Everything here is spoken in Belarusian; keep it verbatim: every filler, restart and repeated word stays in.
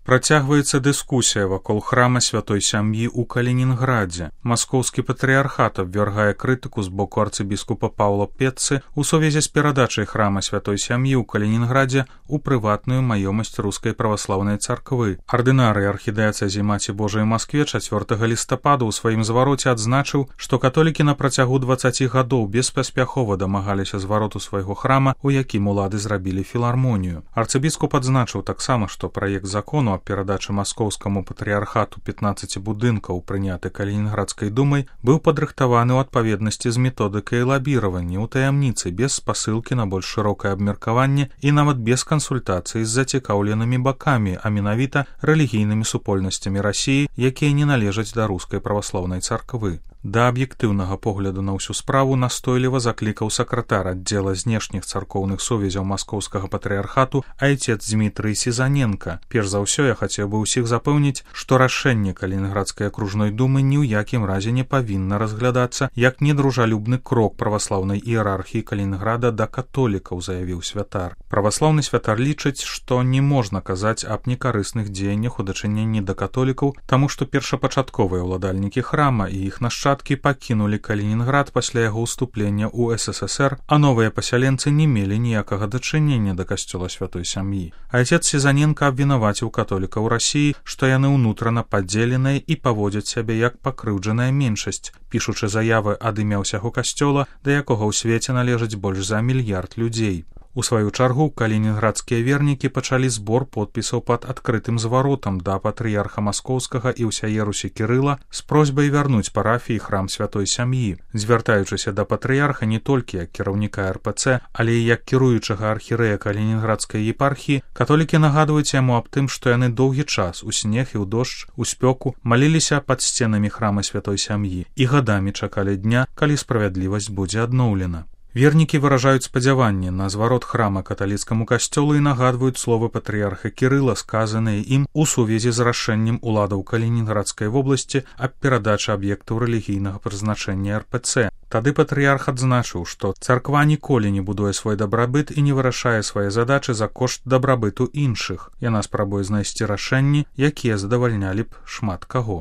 Працягваецца дыскусія вакол храма святой сям'і ў Калінінградзе. Маскоўскі патрыярхат абвяргае крытыку з боку арцыбіскупа Паўла Петцы ў сувязі з перадачай храма святой сям'і ў Калінінградзе ў прыватную маёмасць рускай праваслаўнай царквы. Ардынарый архідыяцэзі Маці Божай Маскве чацвёртага лістапада ў сваім звароце адзначыў, што католікі на працягу дваццаці гадоў беспаспяхова дамагаліся звароту свайго храма, у якім улады зрабілі філармонію. Арцыбіскуп адзначыў таксама, што праект закону аб перадачы маскоўскаму патрыярхату пятнаццаці будынкаў, прыняты Калінінградскай думай, быў падрыхтаваны ў адпаведнасці з методыкай лабіравання ў таямніцы, без спасылкі на больш шырокае абмеркаванне і нават без кансультацыі з зацікаўленымі бакамі, а менавіта рэлігійнымі супольнасцямі Расіі, якія не належаць да рускай праваслаўнай царквы. Да аб'ектыўнага погляду на ўсю справу настойліва заклікаў сакратар аддзела знешніх царкоўных сувязяў маскоўскага патрыярхату айцец Дмітрый Сізаненка. Перш за ўсё я хацеў бы ўсіх запэўніць, што рашэнне Калінінградскай акружной думы ні ў якім разе не павінна разглядацца як недружалюбны крок праваслаўнай іерархіі Калінінграда да католікаў, заявіў святар. Праваслаўны святар лічыць, што не можна казаць аб некарысных дзеяннях у дачыненні да католікаў, таму што першапачатковыя ўладальнікі храма і іх нашчадкі пакінулі Калінінград пасля яго ўступлення ў эс эс эс эр, а новыя пасяленцы не мелі ніякага дачынення да касцёла святой сям'і. Айцец Сізаненка абвінаваціў католікаў Расіі, што яны ўнутрана падзеленыя і паводзяць сябе як пакрыўджаная меншасць, пішучы заявы ад імя ўсяго касцёла, да якога ў свеце належыць больш за мільярд людзей. У сваю чаргу калінінградскія вернікі пачалі збор подпісаў пад адкрытым зваротам да патрыярха маскоўскага і ўсяе Русі Кірыла з просьбай вярнуць парафіі храм святой сям'і. Звяртаючыся да патрыярха не толькі як кіраўніка эр пэ цэ, але і як кіруючага архірэя калінінградскай епархіі, католікі нагадваюць яму аб тым, што яны доўгі час у снег і ў дождж, у спёку маліліся пад сценамі храма святой сям'і і гадамі чакалі дня, калі справядлівасць будзе адноўлена. Вернікі выражаюць спадзяванне на зварот храма каталіцкаму касцёлу і нагадваюць словы патрыярха Кірыла, сказаныя ім у сувязі з рашэннем уладаў Калінінградскай вобласці аб перадачы аб'ектаў рэлігійнага прызначэння эр пэ цэ. Тады патрыярх адзначыў, што царква ніколі не будуе свой дабрабыт і не вырашае свае задачы за кошт дабрабыту іншых. Яна спрабуе знайсці рашэнні, якія задавальнялі б шмат каго.